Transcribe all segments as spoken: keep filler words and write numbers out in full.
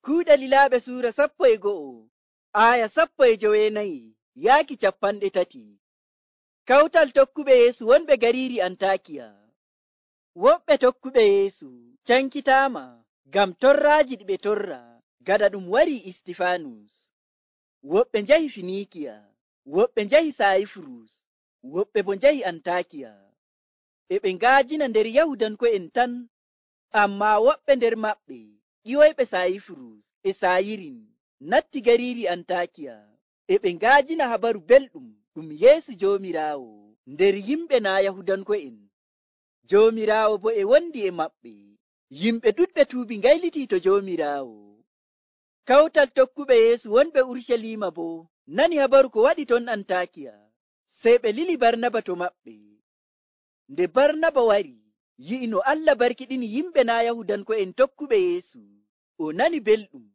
Kuuɗe Lilaaɓe suura sappo e go'o, aaya sappo e jowenayi yaaki capanɗe tati. Kawtal tokkuɓe Yeesu wonɓe gariiri Antaakiya. Woɓɓe tokkuɓe Yeesu cankitaama ngam torraaji ɗi ɓe torra gaɗa ɗum warii Istifaanus. Woɓɓe njahi Finiikiya, woɓɓe njahi Saayifurus, woɓɓe bo njahi Antaakiya. E ɓe ngaajina nder Yahudanko'en tan, ammaa woɓɓe nder maɓɓe ƴiwoyɓe Saayifurus e Saayirin natti gariiri Antaakiya. E ɓe ngaajina habaru belɗum ɗum Yeesu Joomiraawo nder yimɓe naa Yahudanko'en. Joomiraawo bo e wondi e maɓɓe. Yimɓe ɗuɗɓe tuubi ngaylitii to Joomiraawo. Kawtal tokkuɓe Yeesu wonɓe Urucaliima boo nani habaru ko waɗi ton Antaakiya, sey ɓe lili Barnaba to maɓɓe. Nde Barnaba wari, yi'i no Allah barkiɗini yimɓe naa Yahudanko'en tokkuɓe Yeesu, o nani belɗum,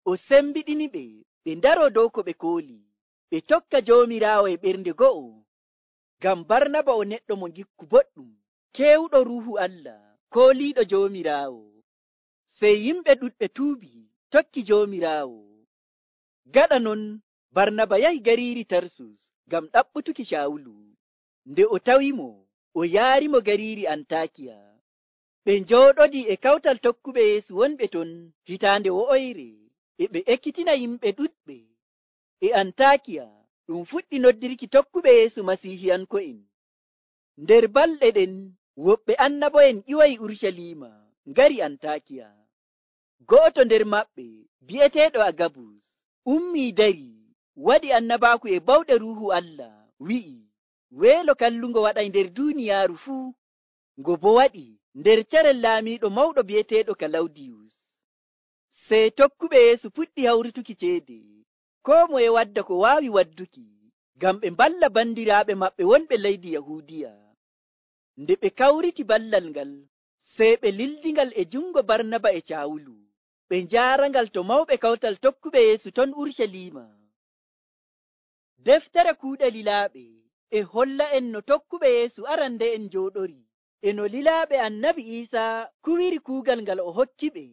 o sembiɗiniɓe ɓe ndaroo dow ko ɓe kooli, ɓe tokka Joomiraawo e ɓernde go'o. Ngam Barnaba o neɗɗo mo ngikku boɗɗum, keewuɗo Ruuhu Allah, kooliiɗo Joomiraawo. Sey yimɓe ɗuɗɓe tuubi tokki Joomiraawo. Gaɗa non, Barnaba yahi gariiri Tarsus ngam ɗaɓɓutuki Caawulu. Nde o tawimo, o yaarimo gariiri Antaakiya. Ɓe njooɗodii e kawtal tokkuɓe Yeesu wonɓe ton hitaande wo'oyre, e ɓe ekkitina yimɓe ɗuɗɓe. E Antaakiya ɗum fuɗɗi noddirki tokkuɓe Yeesu Masiihiyanko'en. Nder balɗe ɗen, woɓɓe annabo'en ƴiwoyi Urucaliima ngari Antaakiya. Go'oto nder maɓɓe, bi'eteeɗo Agabus, ummii dari, waɗi annabaaku e bawɗe Ruuhu Allah, wi'i, weelo kallungo waɗay nder duuniyaaru fuu, ngo bo waɗi nder carel laamiiɗo mawɗo bi'eteeɗo Kalawdiyus. Sey tokkuɓe Yeesu puɗɗi hawrituki ceede, koo moye wadda ko waawi wadduki, ngam ɓe mballa bandiraaɓe maɓɓe wonɓe leydi Yahuudiya. Nde ɓe kawriti ballal ngal, sey ɓe lildingal e jungo Barnaba e Caawulu, ɓe njaarangal to mawɓe kawtal tokkuɓe Yeesu ton Urucaliima. Deftere Kuuɗe Lilaaɓe e holla en no tokkuɓe Yeesu arande'en njooɗori, e no lilaaɓe Annabi Iisaa kuwiri kuugal ngal o hokkiɓe,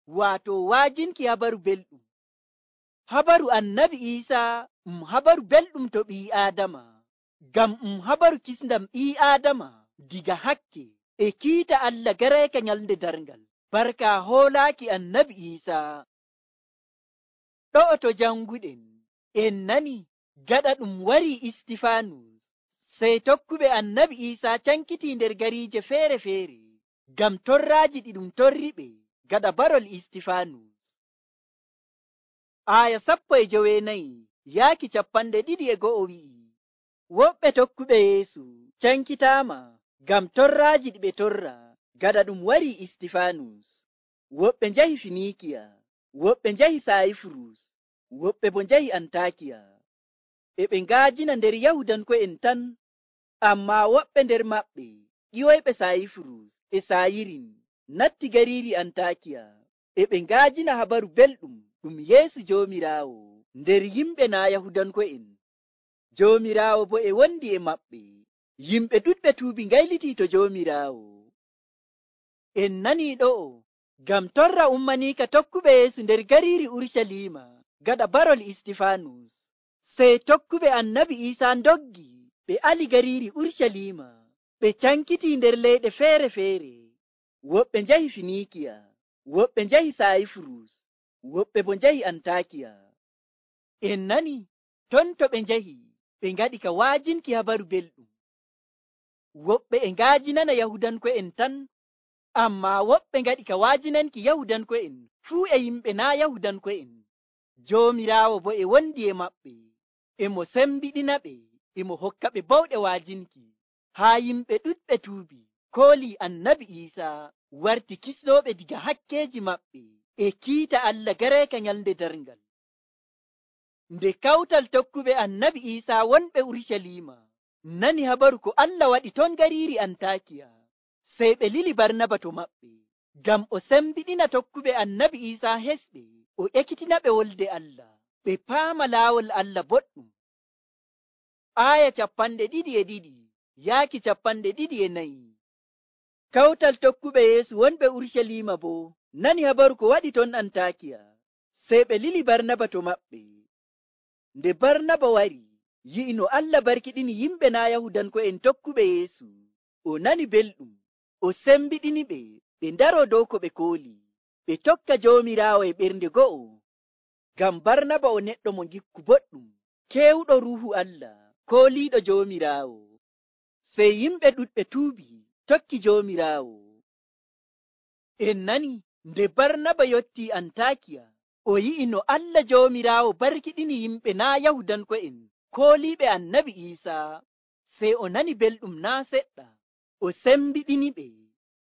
waato waajinki habaru belɗum. Habaru Annabi Iisaa um habaru belɗum to ɓii Aadama, ngam um habaru kisndam ɓii Aadama diga hakke e kiita Allah gareeka nyalnde darngal, barka hoolaaki Annabi Iisaa. Ɗo'o to janguɗen, en nani gaɗa ɗum warii Istifaanus, sey tokkuɓe Annabi Iisaa cankitii nder gariije feere-feere ngam torraaji ɗi ɗum torriɓe gaɗa barol Istifaanus. Aaya sappo e jowenayi yaaki capanɗe ɗiɗi e go'o wi'i, woɓɓe tokkuɓe Yeesu cankitaama ngam torraaji ɗi ɓe torra gaɗa ɗum warii Istifaanus. Woɓɓe njahi Finiikiya, woɓɓe njahi Saayifurus, woɓɓe bo njahi Antaakiya. E ɓe ngaajina nder Yahudanko'en tan, ammaa woɓɓe nder maɓɓe ƴiwoyɓe Saayifurus e Saayirin natti gariiri Antaakiya, e ɓe ngaajina habaru belɗum ɗum Yeesu Joomiraawo nder yimɓe naa Yahudanko'en. Joomiraawo bo e wondi e maɓɓe. Yimɓe ɗuɗɓe tuubi ngaylitii to Joomiraawo. En nanii ɗo'o ngam torra ummaniika tokkuɓe Yeesu nder gariiri Urucaliima gaɗa barol Istifaanus. Sey tokkuɓe Annabi Iisaa ndoggi ɓe ali gariiri Urucaliima, ɓe cankitii nder leyɗe feere-feere. Woɓɓe njahi Finiikiya, woɓɓe njahi Saayifurus, woɓɓe bo njahi Antaakiya. En nani ton to ɓe njahi, ɓe ngaɗi ka waajinki habaru belɗum. Woɓɓe e ngaajinana Yahudanko'en tan, ammaa woɓɓe ngaɗi ka waajinanki Yahudanko'en fuu e yimɓe naa Yahudanko'en. Joomiraawo bo e wondi e maɓɓe, e mo sembiɗina ɓe, e mo hokka ɓe bawɗe waajinki, haa yimɓe ɗuɗɓe tuubi, koolii Annabi Iisaa warti kisnooɓe diga hakkeeji maɓɓe e kiita Allah gareeka nyalnde darngal. Nde kawtal tokkuɓe Annabi Iisaa wonɓe Urucaliima nani habaru ko Allah waɗi ton gariiri Antaakiya, sey ɓe lili Barnaba to maɓɓe, ngam o sembiɗina tokkuɓe Annabi Iisaa hesɓe, o ekkitina ɓe wolde Allah, ɓe paama laawol Allah boɗɗum. Aaya capanɗe ɗiɗi e ɗiɗi yaaki capanɗe ɗiɗi e nayi. Kawtal tokkuɓe Yeesu wonɓe Urucaliima boo nani habaru ko waɗi ton Antaakiya, Sey ɓe lili Barnaba to maɓɓe. Nde Barnaba wari yi'i no Allah barkiɗini yimɓe naa Yahudanko'en tokkuɓe Yeesu, o nani belɗum, o sembiɗini ɓe ɓe ndaro dow ko ɓe kooli, ɓe tokka Joomiraawo e ɓernde go'o. Ngam Barnaba o neɗɗo mo ngikku boɗɗum, keewuɗo Ruuhu Allah, kooliiɗo Joomiraawo. Sey yimɓe ɗuɗɓe tuubi tokki Joomiraawo. En nani nde Barnaba yottii Antaakiya, o yi'i no Allah Joomiraawo barkiɗini yimɓe naa Yahudanko'en kooliiɓe Annabi Iisaa. Sey o nani belɗum naa seɗɗa, o sembiɗini ɓe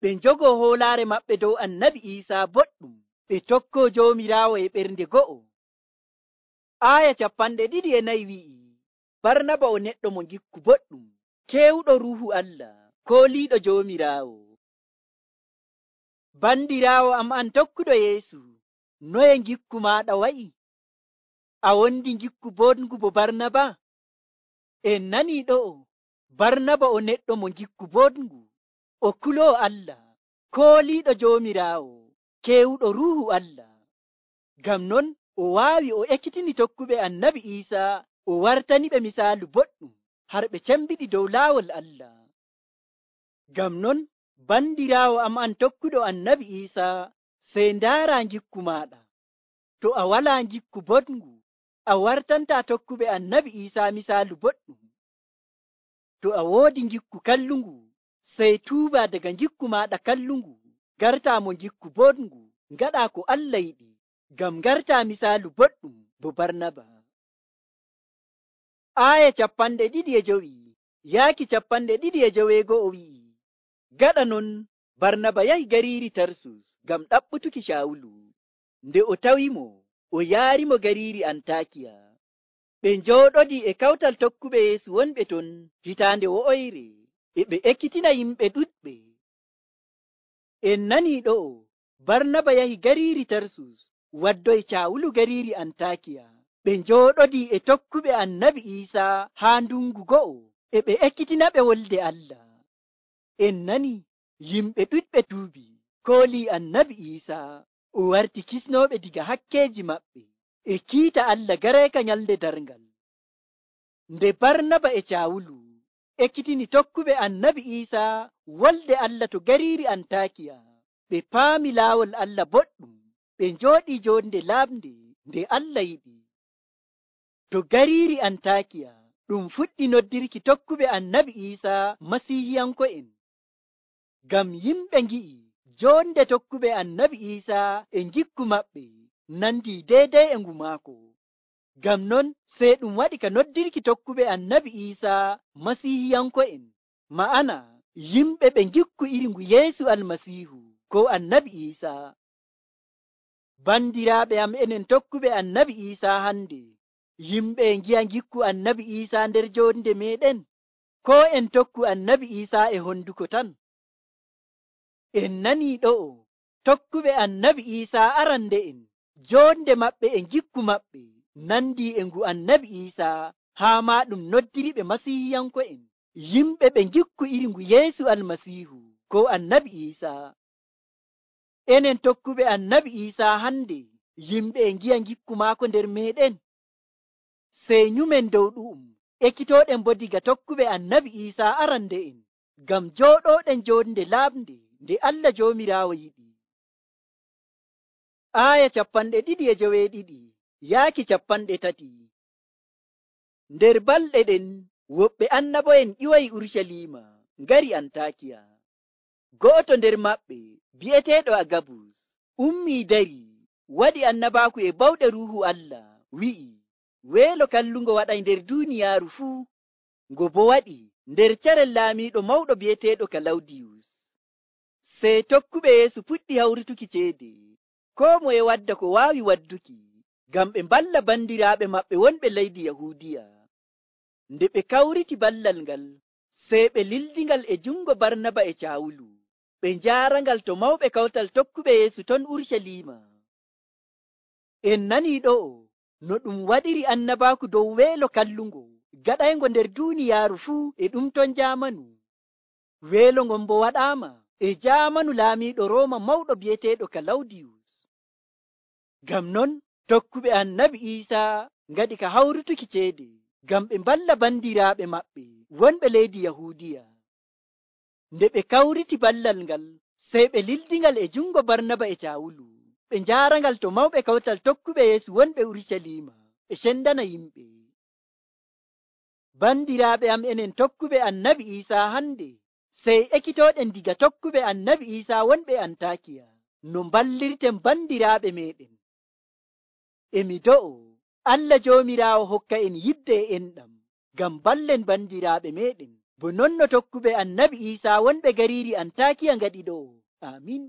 ɓe njogoo hoolaare maɓɓe dow Annabi Iisaa boɗɗum, ɓe tokkoo Joomiraawo e ɓernde go'o. Aaya capanɗe ɗiɗi e nayi wi'i, Barnaba o neɗɗo mo ngikku boɗɗum, keewuɗo Ruuhu Allah, kooliiɗo Joomiraawo. Bandiraawo am an tokkuɗo Yeesu, noye ngikku maaɗa wa'i? A wondi ngikku boɗngu bo Barnaba? En nanii ɗo'o, Barnaba o neɗɗo mo ngikku boɗngu, o kuloo Allah, kooliiɗo Joomiraawo, keewuɗo Ruuhu Allah. Ngam non o waawi o ekkitini tokkuɓe Annabi Iisaa, o wartani ɓe misaalu boɗɗum har ɓe cembiɗi dow laawol Allah. Ngam non bandiraawo am an tokkuɗo Annabi Iisaa, sey ndaara ngikku maaɗa. To a walaa ngikku boɗngu, a wartantaa tokkuɓe Annabi Iisaa misaalu boɗɗum. To a woodi ngikku kallungu, sey tuuba daga ngikku maaɗa kallungu, gartaa mo ngikku boɗngu, ngaɗaa ko Allah yiɗi, ngam gartaa misaalu boɗɗum bo Barnaba. Aaya capanɗe ɗiɗi e jowi yaaki capanɗe ɗiɗi e joweego'o wi'i, gaɗa non Barnaba yahi gariiri Tarsus ngam ɗaɓɓutuki Cawulu. Nde o tawimo, o yaarimo gariiri Antaakiya. Ɓe njooɗodii e kawtal tokkuɓe Yeesu wonɓe ton hitaande wo'oyre, e ɓe ekkitina yimɓe ɗuɗɓe. En nanii ɗo'o, Barnaba yahi gariiri Tarsus waddoy Cawulu gariiri Antaakiya. Ɓe njooɗodii e tokkuɓe Annabi Iisaa haa ndungu go'o, e ɓe ekkitina ɓe wolde Allah. En nani yimɓe ɗuɗɓe tuubi, koolii Annabi Iisaa, o warti kisnooɓe diga hakkeeji maɓɓe, e kiita Allah gareeka nyalnde darngal. Nde Barnaba e Cawulu ekkitini tokkuɓe Annabi Iisaa wolde Allah to gariiri Antaakiya, ɓe paami laawol Allah boɗɗum, ɓe njooɗii joonde laaɓnde nde Allah yiɗi. To gariiri Antaakiya ɗum fuɗɗi noddirki tokkuɓe Annabi Iisaa Masiihiyanko'en. Ngam yimɓe ngi'i joonde tokkuɓe Annabi Iisaa e ngikku maɓɓe nandii deydey e ngu maako. Ngam non sey ɗum waɗi ka noddirki tokkuɓe Annabi Iisaa Masiihiyanko'en, ma'ana yimɓe ɓe ngikku iri ngu Yeesu Almasiihu ko Annabi Iisaa. Bandiraaɓe am enen tokkuɓe Annabi Iisaa hande, yimɓe e ngi'a ngikku Annabi Iisaa nder joonde meɗen, ko en tokku Annabi Iisaa e honduko tan? En nanii ɗo'o, tokkuɓe Annabi Iisaa arande'en, joonde maɓɓe e ngikku maɓɓe nandii e ngu Annabi Iisaa, haa maa ɗum noddiri ɓe Masiihiyanko'en, yimɓe ɓe ngikku iri ngu Yeesu Almasiihu ko Annabi Iisaa. Enen tokkuɓe Annabi Iisaa hande, yimɓe e ngi'a ngikku maako nder meɗen. Sey nyumen dow ɗu'um ekkitooɗen bo diga tokkuɓe Annabi Iisaa arande'en, ngam jooɗooɗen joonde laaɓnde nde Allah Joomiraawo yiɗi. Aaya capanɗe ɗiɗi e joweeɗiɗi yaaki capanɗe tati. Nder balɗe ɗen woɓɓe annabo'en ƴiwayi Urucaliima ngari Antaakiya. Go'oto nder maɓɓe bi'eteeɗo Agabus ummii dari waɗi annabaaku e bawɗe Ruuhu Allah, wi'i, weelo kallungo waɗay nder duuniyaaru fuu, ngo bo waɗi nder carel laamiiɗo mawɗo bi'eteeɗo Kalawdiyus. Sey tokkuɓe Yeesu puɗɗi hawrituki ceede, koo moye wadda ko waawi wadduki, ngam ɓe mballa bandiraaɓe maɓɓe wonɓe leydi Yahuudiya. Nde ɓe kawriti ballal ngal, sey ɓe lildingal e jungo Barnaba e Cawulu, ɓe njaarangal to mawɓe kawtal tokkuɓe Yeesu ton Urucaliima. En nanii ɗo'o no ɗum waɗiri annabaaku dow weelo kallungo gaɗayngo nder duuniyaaru fuu e ɗum ton jaamanu. Weelo ngon bo waɗaama e jaamanu laamiiɗo Rooma mawɗo bi'eteeɗo Kalawdiyus. Ngam non Tokkuɓe annabi Iisaa ngaɗi ka hawrutuki ceede ngam ɓe mballa bandiraaɓe maɓɓe wonɓe leydi Yahuudiya. Nde ɓe kawriti ballal ngal, sey ɓe lildingal e jungo Barnaba e Caawulu, ɓe njaarangal to mawɓe kawtal tokkuɓe Yeesu wonɓe Urucaliima, ɓe cendana yimɓe. Bandiraaɓe am, enen tokkuɓe annabi Iisaa hande, sey ekkitooɗen diga tokkuɓe annabi Iisaa wonɓe Antaakiya, no mballirten bandiraaɓe meeɗen. E mi do'o Allah Joomiraawo hokka en yidde e enɗam ngam ballen bandiraaɓe meeɗen, bo non no tokkuɓe annabi Iisaa wonɓe gariiri Antaakiya ngaɗi ɗo. Aamin.